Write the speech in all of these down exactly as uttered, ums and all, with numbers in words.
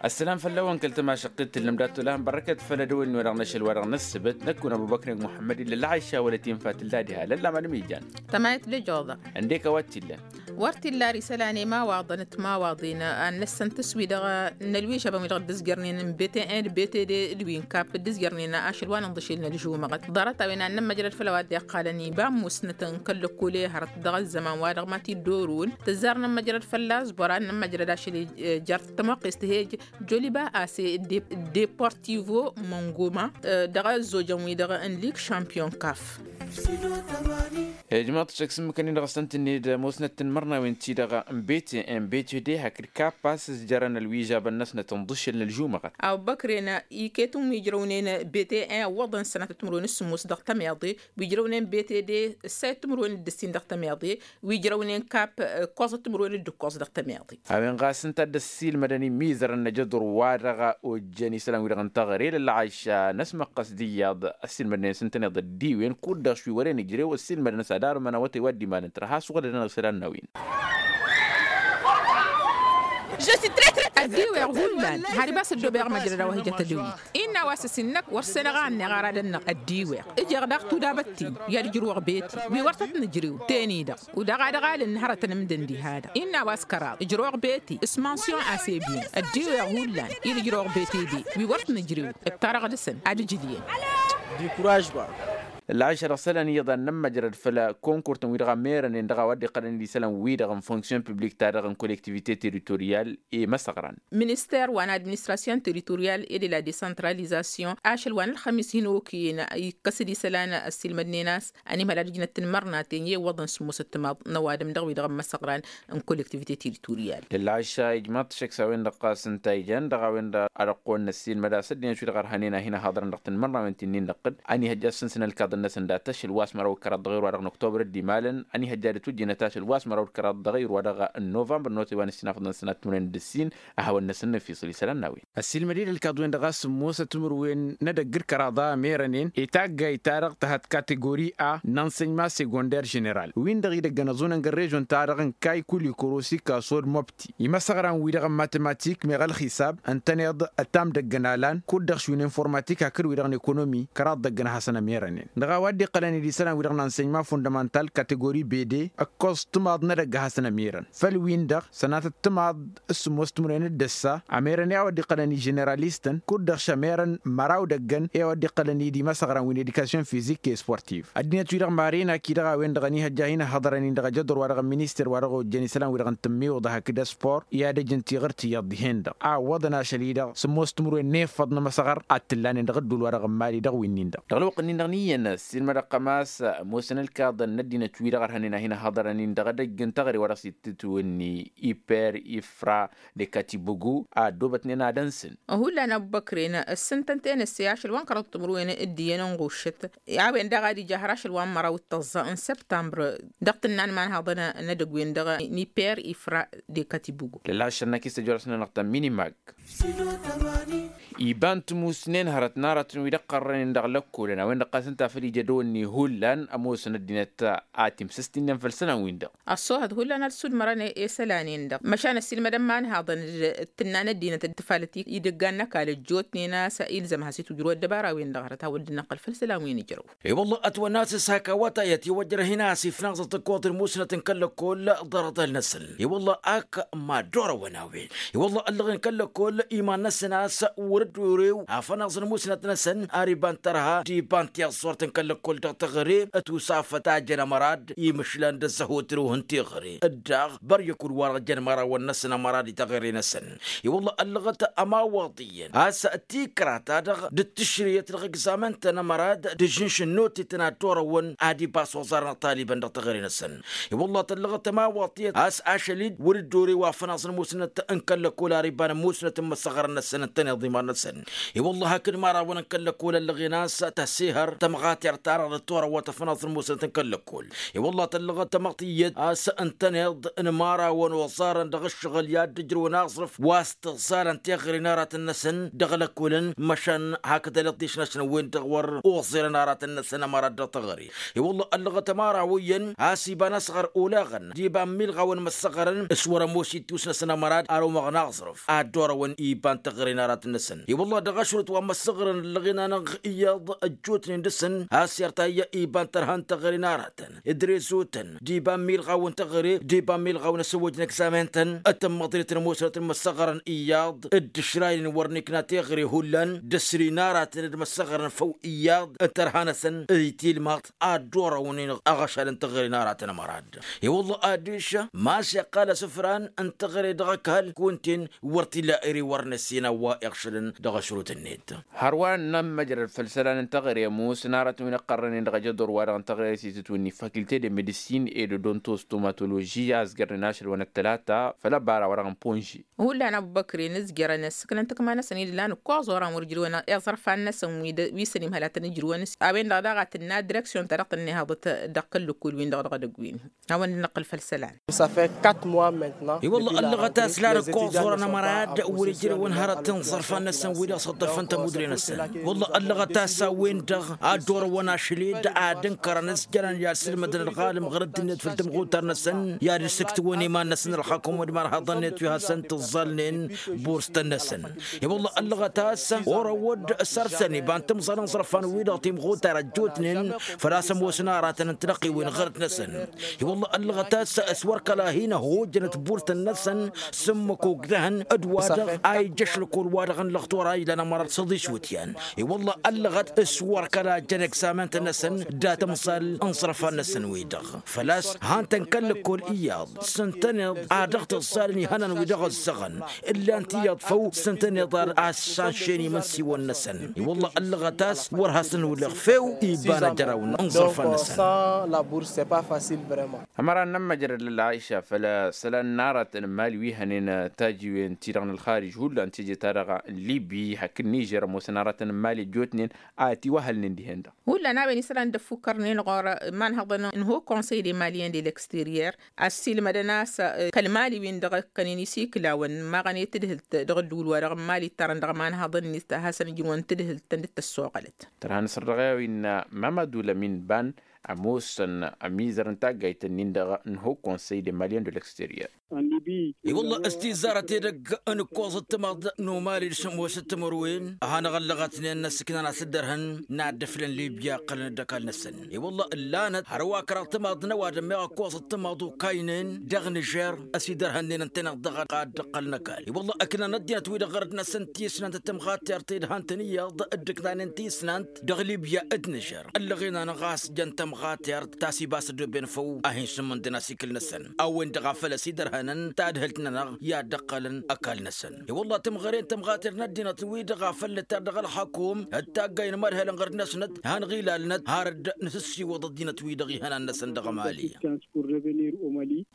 Ăssălam făll-awăn kăl-tămašăqqit tǝllăm dat-olahan bărrăkăt făll-edăwănni wa dăɣ-năšăl wa dăɣ-năssăbăt năkk unăbubăkreg muḥămmăd illa lăɣayša wăla tinfa tǝlla diha lălla madăm ijan. Tămayăt d-ejăwăḍa. Ăndek a-wa t-illăn. Wăr t-illa ar isălan i-imawaḍăn d-timawaḍin ad-năssăn tǝswi dăɣ-nălwižabăn wi dăɣ-dd-ǝzjărnen n-bete en d-bete de d-wi n-kap dd-ǝzjărnen ašăl wa n-inḍǝšel n-ălžumăɣăt ḍarăt-a-wen ad-nămmăjrăd făll-a-wa dd-iqqalăn iba n-musnăt n-kăl-lăkkol i-hărăt dăɣ-ăzzăman wa dăɣ-ma t-dd-orǝwăn tǝzzar nămmăjrăd fălla-s băra ad-nămmăjrăd ašăl jer-tămoqqest hej joliba ase deportivo mongoma dăɣ-ăzzojăn-wi-dăɣ n-lig šampiyon kaf. Ijmaḍ-t šăkk s-ǝmmǝkăn-in-dăɣ ăssăn-t-ǝnned musnăt n-imărnawen-ti-dăɣ n-bete n-bete de hakd kappa s-ǝzjărăn ălwižabăn-năsnăt n-iḍǝššel n-ălžumăɣăt. A-wa ǝbbăkren iket n-wi ǝjrăwnen bete n-iwwăḍăn sănatăt timǝrwen s-sǝmmos dăɣ-tămiḍe wi ǝjrăwnen bete de ǝssayăt timǝrwen d-ǝssin dăɣ-tămiḍe wi ǝjrăwnen kap ǝkkoẓăt timǝrwen d-ǝkkoẓ dăɣ-tămiḍe. A-wen ɣas ǝnta a dd-ăssiilmădăn imizărăn n-ajăḍur wa dăɣ-ojjăn isălan-wi-dăɣ n-taɣre lălɣayša n-ăsmăqqăs d-iyyăḍ ăssiilmădnen s-ǝntăneḍ ăddiwen kud-dăɣ šwi wăren ǝjrew ăssiilmădăn s-ad-armăn awătay wa dd-imalăn tărha ăssuɣǝlădăn isălan n-a-wen. Ăddiweɣ hullan har ibas ăddobeɣ măjrăd a-wa hi-jăt ădăwit. Innă a-wa s-ăsinnăk wăr săn ăɣanneɣ aradăn-năɣ ăddiweɣ ǝjeɣ daɣ tudabăt-tin i-ad-ǝjrǝwăɣ beti wi wăr tăt-nǝjrew ten-i-dăɣ. Udaɣ ad-ăɣalăn hărătăn ǝmdăn diha-dăɣ innă a-wa s-kăraḍ ǝjrăwăɣ beti s-mansiyon a s-ebin ăddiweɣ hullan-i d-ǝjrăwăɣ beti de wi wăr t-nǝjrew ǝttarăɣ dăɣ-săn ad-ǝjǝlyen. Dikuražba. Lălɣayša dăɣ-isălan iyyăḍ ad-nămmăjrăd făll-konkurt-tăn wi-dăɣ a merănen dăɣ-a-wa dd-iqqălăn d-isălan-wi-dăɣ n-fonksiyon piblik-ta-dăɣ n-kollektivite teritoryal i-imăsăɣran. Minister wa n-administrasyon teritoryal e de la desantralizasyon ašăl wa n-ălxămis hin-okăyăn ikkăs-dd isălan ăssiilmădnen a-s ănihmăl ad-ǝjnăt tinmărnaten i-iwwăḍăn sǝmmosăt timaḍ n-ăwadǝm dăɣ-wi-dăɣ n-imăsăɣran n-kollektivite teritoryal. Lălɣayša ijmaḍ-t šăkk s-a-wen-dăɣ ɣas ǝnta ijăn dăɣ-a-wen-dăɣ ad-ăqqoon n-ăssiilmăd a-s ăddinăt wi-dăɣ ărhănen a hin-ăhaḍărăn dăɣ-tinmărnawen ti-nin-năqqǝd ănihăjja ad-sǝnsǝn ălkaḍăn-năsăn dat-ašăl wa s-măraw d-kăraḍ dăɣ-irwa dăɣ-năktobăr d-imalăn ănihăjja ad-ătwǝjjǝnăt ašăl wa s-măraw d-kăraḍ dăɣ-irwa dăɣ-novămbăr n-otay wa n-ǝssin afăḍăn sănat timǝrwen d-ǝssin. Ăhawăn-năsăn n-efisǝl isălan n-a-wen. Ăssiilmăd-dd ălkaḍ-wen-dăɣ a-s sǝmmosăt timǝrwen n-edăgg d-kăraḍa a merănen etaggayt-ta-dăɣ tăhăt kategori a n-ensăyma segonder ženeral win-dăɣ idăggăn ăẓunăn g-ărrežon-ta-dăɣ n-kaykulikorosi kasod mobti imăsăɣran-wi-dăɣ n-matematik meɣ ălxisab ǝntăneḍ ătam dăgg-ănalan kud-dăɣ šwin informatik hakd-wi-dăɣ n-ekonomi kăraḍ dăgg-ănhasăn ămerănen dăɣ-a-wa dd-iqqălăn d-isălan-wi-dăɣ n-ensăyma fundămantal kategori bede ǝkkoẓ timaḍ n-edăgg a hasăn-ămirăn făll-win-dăɣ sănatăt timaḍ s-sǝmmos timǝrwen d-ǝssa ămirăn i-a-wa dd-iqqălăn i-ženeralistăn kud-dăɣ šămirăn măraw dăgg-ăn i-a-wa dd-iqqălăn i-dimăsăɣran wi n-edikasyon fizik i-sportiv ăddinăt-wi-dăɣ mari n-akidăɣ a-wen-dăɣ ănihăjja a hin-ăhhăḍărăn-in dăɣ-ajăḍur wa dăɣ-n minister wa dăɣ-ojjăn isălan-wi-dăɣ n-tǝmmiwǝḍa hakd ăspor i-ad-ăj n-tiɣǝrt iyyăḍ dihen-dăɣ a ǝwwăḍăn ašăl-i-dăɣ sǝmmos timǝrwen n-efăḍ n-imăsăɣăr ad-t-ǝllanen dăɣ-ǝddul wa dăɣ-n mali dăɣ-winnin-dăɣ. Dăɣ-ălwăqq-nin-dăɣ n-iyyăn ăssiilmădăɣ ăqămas ămoosăn ălkaḍăn n-ăddinăt-wi-dăɣ ărhănen a hin-ăhhăḍărăn-in dăɣ-edăgg n-teɣăre wa dăɣ-s ittǝtwǝnni iper ifra dekatibugu a ăddoobătnen ad-ănsǝn. Hullan ăbbăkren ǝssǝntăn tenăsse ašăl wa n-kăraḍ timǝrwen d-iyyăn n-ɣuššăt a-wen daɣ ad-ija har ašăl wa n-măraw d-tăẓẓa n-săbtambăr dăɣ-tǝnna n-imanhaḍăn n-edăgg-wen-dăɣ n-iper ifra dekatibugu. Lălla ašăl n-akis tăjorăsnăn dăɣ-tămminimag. Iba n-timusnen hărăt n-aratăn wi d-ăqqărrănen dăɣ-lăkkolăn a-wen-dăɣ ɣas ǝnta a făl ija dăwănni hullan ămoosăn ăddinăt a timsǝst-innăn făll-isălan-win-dăɣ. Ăṣṣoohăt hullan ad-sudmărăn i-isălan-in-dăɣ măšan ăssiilmădăn imanhaḍăn d-tǝnna n-ăddinăt d-tafalăt idǝggan n-ăkall ăjjootnen a-s ilzăm ad-has-itwǝjrăw ăddăbara-wen-dăɣ hărăt a-wa dd-năqqăl făll-isălan-win ǝjrăw. I-wălla ătwănna a-s hak awătay ătiwăjrăh-in a-s ifnaẓăt ǝkkoḍăn musnăt n-kăl-lăkkol ḍarăt-năsăn. I-wălla ak mad-orăwăn a-wen i-wălla ăllăɣen kăl-lăkkol iman-năsăn a-s wăr-dd-orew afănaẓ n-musnăt-năsăn ar iba n-tărha d-iba n-tiẓẓurt n-kăl-lăkkol dăɣ-teɣăre ătusafăt a jăn ămărad imǝšlan d-ăzzăhotrew n-teɣăre. Dd-dăɣ băryăkud-wa-dăɣ jăn imărawăn-năsăn ămărad i-teɣăre-năsăn. I-wălla ăllăɣăt ămawaḍ iyyăn a-s tikra-ta-dăɣ d-tǝšrǝyăt dăɣ-egzamen-tăn ămărad d-ažǝnš n-otetăn ad-t-orăwăn ad-ibas oẓar n-iṭalibăn dăɣ-teɣăre-năsăn. I-wălla tăllăɣăt ămawaḍ iyyăn a-s ašăl-dd wăr-dd-orew afănaẓ n-musnăt n-kăl-lăkkol ar iba n-musnăt n-imăssăɣrăn-năsăn ǝntăneḍ iman. I-wălla-hi hakd imărawăn n-kăl-lăkkol ăllăɣen a-s tăsihăr tămɣatert ta-dăɣ d-torăwăt ăfănaẓ n-musnăt n-kăl-lăkkol. I-wălla tăllăɣăt tamăɣt iyyăt a-s ǝntăneḍ n-imărawăn oẓarăn dăɣ-ǝššăɣǝl i-ad-dd-ǝjrǝwăn aẓrǝf wa s-tǝẓẓalăn teɣăre n-aratăn-năsăn dăɣ-lăkkolăn măšan hakd ăliḍḍiš-năsăn-wen-dăɣ wăr oẓerăn aratăn-năsăn ămărad dăɣ-teɣăre. I-wălla ăllăɣăt ămăraw iyyăn a-s iba n-asɣăr olaɣăn d-iba n-milɣawăn măssăɣărăn s-wăr-ămoos ittus-năsăn ămărad ar omăɣ n-aẓrǝf ad-dd-orăwăn iba n-teɣăre n-aratăn-năsăn. I-wălla dăɣ-ašrǝt wa măssăɣărăn ăllăɣen-anăɣ iyyăḍ ăjjootnen dăɣ-săn a-s irta iyyă iba n-tărha n-teɣăre n-aratăn d-rezotăn d-iba n-milɣaw n-teɣăre d-iba n-milɣaw n-asăwwăj n-egzamen-tăn d-tămmăḍnet n-ămoosnăt n-imăssăɣărăn iyyăḍ d-išraynen wăr n-ikna teɣăre hullan d-asri n-aratăn d-măssăɣărăn făw iyyăḍ n-tărha-năsăn d-itilmăḍt ad-dd-orăwnen aɣăšal n-teɣăre n-aratăn ămărad. I-wălla adiš ma s-iqqal asǝfran n-teɣăre dăɣ-ăkall kunta-en wăr t-illa ere wăr năssin a-wa iɣšălăn dăɣ-ašrut-net. Hărwa n-inămmăjrăd făll-isălan n-teɣăre ămoosăn aratăn wi n-ăqqărrănen dăɣ-ajăḍor-wa-dăɣ n-teɣăre s-itǝtwǝnni faculté de medicine et de dontostămatoloži a ǝzjărnen ašăl wa n-ăttălata făll-ăbara-wa-dăɣ n-ponži. Hullan ăbubăkre n-ǝzjărăn ǝssǝknăn takma-năsăn-dd ǝllan ǝkkoẓ oran wăr ǝjrǝwăn iẓărfan-năsăn wi s-ănimhălatăn ǝjrǝwăn a-wen-dăɣ daɣ a tǝnna direksyon-ta-dăɣ tǝnna ihaḍăt dăɣ-kăl-lăkkol-win-dăɣ dăɣ-edăgg-win. Hawăn-dd-năqqǝl făll-isălan. I-wălla ăllăɣăt a-s lan ǝkkoẓ oran ămărad wăr ǝjrǝwăn hărăt n-iẓărfan-năsăn wi-dăɣ s-ăḍḍăfăn tămudre-năsăn. I-wălla ăllăɣăt a-s a-wen-dăɣ ad-dd-orăwăn ašăl-dd ad-ǝnkărăn s-jărăn i-ad-sǝlmădăn ălɣalăm ɣur-ăddinăt făll-tamɣutar-năsăn i-ad-ǝssǝktǝwăn iman-năsăn ălxakǝm d-imarhaḍăn-net wi hasăn-tǝẓẓalnen burstăn-năsăn. I-wălla ăllăɣăt a-s orăwăd săr-săn iba n-timẓal n-iẓrăfan-wi-dăɣ timɣutar ăjjootnen făl-a-s ămoosăn aratăn n-tinăqqiwen ɣărăt-năsăn. I-wălla ăllăɣăt a-s s-wăr kăla hin-ăhojănăt burtăn-năsăn s-ǝmmǝk ogdăhăn d-wa-dăɣ a ija ašlăkol-wa-dăɣ n-lăxtor a ilan ămărăt săḍis wǝtyan. I-wălla ăllăɣăt s-wăr kăla jăn egzamen-tăn-năsăn dat-ămẓal n-iẓrăfan-năsăn-wi-dăɣ făl-a-s han-tăn kăl-lăkkol iyyăḍ s-ǝntăneḍ a dăɣ-tǝẓẓalăn ihănan-wi-dăɣ ăzzăɣăn. Ǝllan-t iyyăḍ făw s-ǝntăneḍ ad-assanšen imǝnsiwăn-năsăn. I-wălla ăllăɣăt a-s wăr hasăn-wǝleɣ few iba n-ajăraw n-iẓrăfan-năsăn. Ămăra n-inămmăjrăd lălɣayša făll-isălan n-aratăn n-imali wi hănen tajiwen-ti-dăɣ n-ălxarij hullan teje-ta-dăɣ n-libi hakd nižer ămoosăn aratăn n-imali ăjjootnen a ătiwăhălnen dihen-dăɣ. Hullan a-wen isălan dd-ăffukkărnen ɣur-imanhăḍăn n-haut conseil des maliens de l'extérieur ăssiilmădăn a-s kăl-mali-win-dăɣ ǝkkănen isiklawăn imaɣăn i-tadhǝlt dăɣ-ădduul-wa-dăɣ n-mali ǝttarăn dăɣ-imanhăḍăn-net a hasăn-ǝjrǝwăn tadhǝlt-tăn dd-tăssoɣălăt. Tărha n-asăr dăɣ-e-a-wen mămădu lămin ban ămoosăn ămizăr n-taggayt-nin-dăɣ n-haut conseil des maliens de l'extérieur. I-wălla s-tizarăt edăgg n-ǝkkoẓ ǝttămaḍ n-umali d-sămoos d-timǝrwen a hanăɣ-ăllăɣătnen n-ăssǝknan a-s dd-ărhăn n-ad-dd-ǝflăn libya ǝqqălăn-dd ăkall-năsăn. I-wălla ǝllanăt hărwa kăraḍ tămaḍ n-ăwadǝm meɣ ǝkkoẓ ǝttămaḍ okaynen dăɣ-nǝžer ăsidărhănnen ǝntăneḍ dăɣ-ad-dd-ǝqqălăn ăkall. I-wălla ǝknan ăddinăt-wi-dăɣ ɣărăt-năsăn tisnant d-tămɣatert i-dd-han-tăn iyyăḍ dd-ǝknanen tisnant dăɣ-libya d-nǝžer. Ăllăɣen-anăɣ a-s jăn tămɣatert ta s-ibas ăddoben făw a hin-sǝmmǝndăn asikǝl-năsăn a-wen-dăɣ a făl ăsidărhănăn tadhǝlt-nănăɣ i-ad-dd-ăqqălăn ăkall-năsăn. I-wălla timɣăre n-tămɣatert n-ăddinăt-wi-dăɣ a făl nǝttar dăɣ-ălxakum d-taggay n-imărhel n-ɣărd-năsnăt han ɣilalnăt har dd-nǝsǝssiwăḍ ăddinăt-wi-dăɣ ihănan-năsăn dăɣ-emali.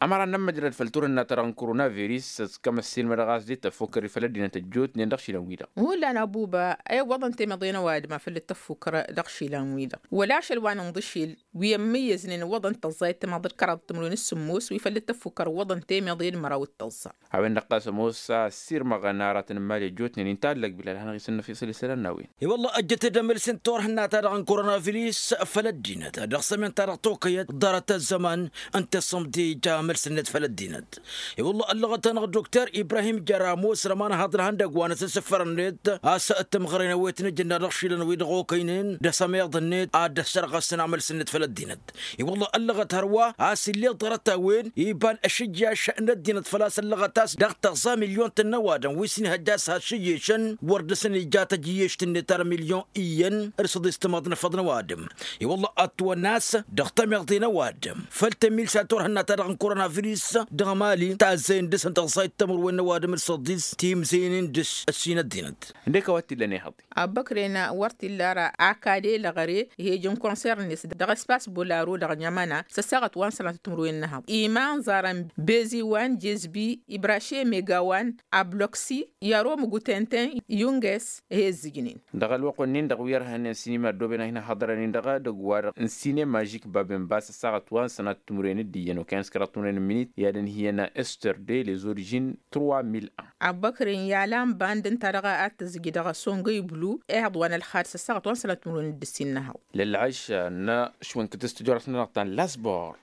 Ămăra n-ămmăjrăd făll-turhǝnna-ta-dăɣ n-koronavirus s-kămăssin mădăɣ-as dd-tăffukkări făll-ăddinăt ăjjootnen dăɣ-išilan-wi-dăɣ. Hullan abuba i-iwwăḍăn temeḍe n-ăwadǝm a făl dd-tăffukkăr dăɣ-išilan-wi-dăɣ wăla ašăl wa n-inḍǝšil wi ămmǝyyăznen iwwăḍăn tăẓẓa i-tămaḍ d-kăraḍ timǝrwen s-sǝmmos wi făl dd-tăffukkăr iwwăḍăn temeḍe d-măraw d-tăẓẓa. A-wen-dăɣ ɣas ămoos a ăssiirmăɣăn aratăn n-imali ăjjootnen inta ăllăg bilal hanăɣ-isǝnnăf isăl isălan n-a-wen. I-wălla ăjjăt-dd amălsin turhǝnna-ta-dăɣ n-koronavirus făll-ăddinăt dăɣ-sămint-ta-dăɣ tokăyăt ḍarăt ăzzăman ǝnta iṣṣămdi ija amălsǝnnet făll-ăddinăt. I-wălla ăllăɣăt-anăɣ dokter ibrahim jăr ămoosăn ămanhăḍ n-ihăndăgg wa n-asǝssǝfăr-net a-s timɣăre n-ăwwet n-ijǝnna dăɣ-išilan wi-dăɣ okăynen d-asămeḍ-net ad-dd-ăssărɣăsăn amălsǝnnet făll-ăddinăt. I-wălla ăllăɣăt hărwa a-s ill'-e ḍarăt-a-wen iba n-ašǝjjaš n-ăddinăt făl-a-s ăllăɣăt a-s dăɣ-tăẓẓa milyon-tăn n-ăwadǝm wi s-inhăjja a-s has-šǝjješăn wăr dăr-săn ija tăjjǝyyešt-net ar milyon iyyăn d-săḍis timaḍ n-efăḍ n-ăwadǝm. I-wălla ătwănna a-s dăɣ-tămeḍe n-ăwadǝm făll-tămilsa turhǝnna-ta-dăɣ n-koronavirus dăɣ-emali tazzăyăn dăr-săn tăẓẓayt timǝrwen n-ăwadǝm d-săḍis timzăynen dăr-s ăssin ăddinăt. Ǝndek a-wa t-illăn ihăḍ. Abbăkren wăr t-illa ara akad elăɣăre ih'-ej n-konsern-net dăɣ-s. ăttas bolaro dăɣ-ănămăna s-ăssaɣăt wa n-sănatăt timǝrwen n-ehăḍ iman ẓarăn beziwan jezbi ibraše megawan abloksi yaro mugutenten yunges. He ǝzzǝjnen dăɣ-ălwăqq-wen-in-dăɣ wi ărhănnen sinima ăddooben a hin-ăhhăḍărăn-in-dăɣ dăgg-wa-dăɣ n-sine mažik baben bas ăssaɣăt wa n-sănatăt timǝrwen d-iyyăn okăyăn s-kăraḍ timǝrwen n-minit i-ad-ǝnhǝyăn ester de les orižines trois mille un. Abăkren i-ala n-band ǝnta-dăɣ a t-tǝzzǝj dăɣ-asongăy blu ehăḍ wa n-ălxad s-ăssaɣăt wa n-sănatăt timǝrwen d-ǝssin n-ehăḍ. Lălɣăš n-ašwăn kǝtǝs tǝjorăt n-dăɣ-ta n-lasbor.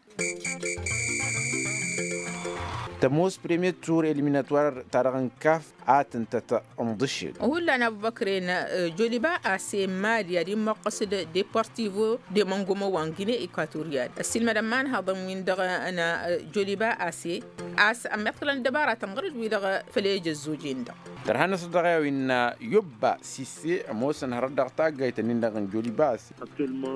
Tămoos premier tur eliminatwar ta dăɣ-n kaf a tǝntăt n-ḍǝššeg. Hullan abubăkren joliba ase n-mali ad-immăqqăs d-deportivo de măngomo wa n-gine ekwatoryal ăssiilmădăn imanhaḍăn-win-dăɣ n-joliba ase. A-s ămmiḍkălăn ăddăbaratăn ɣur-dd-wi-dăɣ făl ejăzzojen-dăɣ. Tărha-năsăn dăɣ-e-a-wa innă yobba sisse ămoosăn hărăt dăɣ-taggayt-nin-dăɣ n-joliba ase.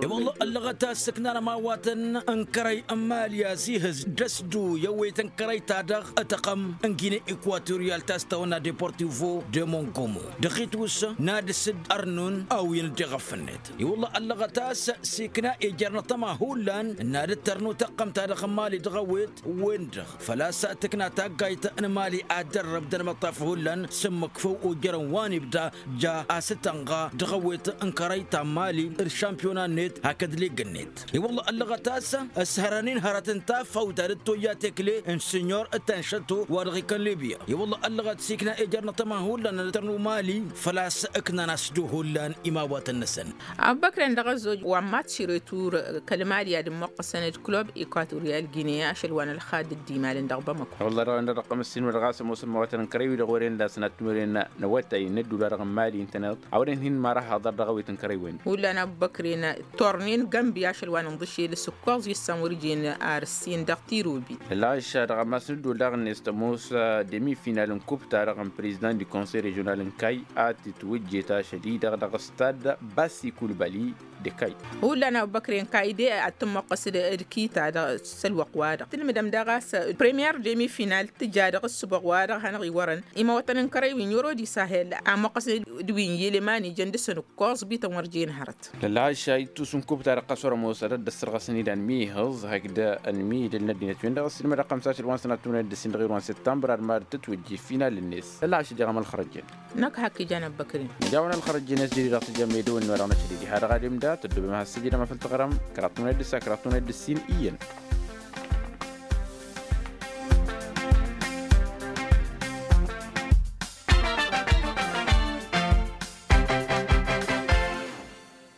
E-wălla ăllăɣăt a-s ǝknan ămawatăn n-kărăy n-mali a-s ihǝz d-ăsdu i-ăwwet n-kărăy-ta-dăɣ tăqqăm n-gine ekwatoryal ta s-tawănna deportivo de mongomo dăɣ-itwǝs n-ad-dăr-s dd-ărnun a-wen dd-iɣăf-net. E-wălla ăllăɣăt a-s s-ikna ejăr n-atăma hullan n-ad-dd-tărnu tăqqăm-ta-dăɣ n-mali dăɣ-ăwwet-wen-dăɣ făl-a-s tǝkna taggayt n-mali ad-dăr-răb d-ănmăṭṭaf hullan s-ǝmmǝk făw ojărăn wa n-ibda ja a-s tănɣa dăɣ-ăwwet n-kărăy ta n-mali d-šampiyona-net hakd lig-net. I-wălla ăllăɣăt a-s s-hărăn-in hărăt n-tafăwt ad-dd-toyya tekle n-sinyor tănšăto wa dăɣ-ikăn libya i-wălla ăllăɣăt s-ikna ejăr n-atăma hullan ad-tărnu mali făl-a-s ǝknan asdu hullan imawatăn-năsăn. Abubăkren dăɣ-ăzzoj wa n-matš retur kăl-mali ad-ǝmmăqqăsăn d-klub ekwatoryal gine ašăl wa n-ălxad dd-imalăn dăɣ-bamăko. Wălla dăɣ-wen dăɣ-dăɣ-tămăssin wa dăɣ-a-s ămoosăn mawătăn n-kărăy-wi-dăɣ wăren d-asăn ad-timǝrwen n-awătay n-ăddula dăɣ-n mali ǝntăneḍ a wăren hin-mara haḍăr dăɣ-awet n-kărăy-wen. Hullan abubăkren tornen gămbi ašăl wa n-inḍǝšel s-ǝkkoẓ issan wăr jen ar ǝssin dăɣ-tirobi. Ălɣaš dăɣ-amas n-ăddul daɣ-net tămoos demi-final n-kup-ta-dăɣ n-prezidant du konsey režional n-kay a tǝtwǝjjet ašăl-i-dăɣ dăɣ-stad basi kulbali. De kay. Hullan abubăkren kayde ad-tǝmmăqqăs d-kita dăɣ-s ălwăqq-wa-dăɣ tǝlmǝdăm daɣ a-s premier demi-final tǝja dăɣ-ǝssǝboɣ-wa-dăɣ hanăɣ-iwărăn imawătăn n-kărăy wi n-yoro d-isahel a măqqăsăn d-wi n-yeleman ijăn dăr-săn ǝkkoẓ bităn wăr jen hărăt. Lălɣaš a ittus n-kup-ta-dăɣ ɣas wăr-ămoos ad-dd-ăssărɣăsăn idan mi ihǝẓ hakd ănmidǝl n-ăddinăt-win-dăɣ ăssiilmădăɣ xămsa ašăl wa n-sănat tumnăt d-ǝssin dăɣ-irwan săttămbăr ad-mad-tătwǝjje final-net. Lălɣaš ăjăɣăm ălxărăjjăn. Năkk hak ijan abubăkrin. Nǝjawăn ălxărăjjăn s-jădid dăɣ-tijămmăydăwăn n-wa dăɣ-năšăl-i diha dăɣ-adǝm da tăddobem ad-has-săjdăm afăl tăɣrăm kăraḍ tumnăt d-ǝssa kăraḍ tumnăt d-ǝssin iyyăn.